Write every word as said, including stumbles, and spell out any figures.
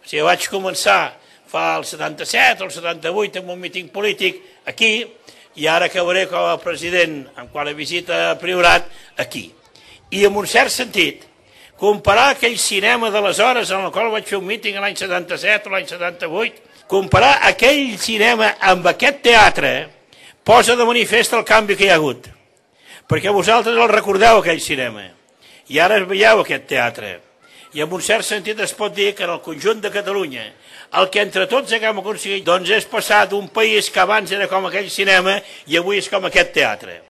O sigui, vaig començar fa el setanta-set o el setanta-vuit amb un míting polític aquí i ara acabaré com a president en quant a visita a Priorat aquí. I en un cert sentit, comparar aquell cinema d'aleshores en el qual vaig fer un míting l'any setanta-set o l'any setanta-vuit, comparar aquell cinema amb aquest teatre posa de manifest el canvi que hi ha hagut. Perquè vosaltres el recordeu, aquell cinema, i ara veieu aquest teatre. I en un cert sentit es pot dir que en el conjunt de Catalunya el que entre tots haguem aconseguit doncs és passar d'un país que abans era com aquell cinema i avui és com aquest teatre.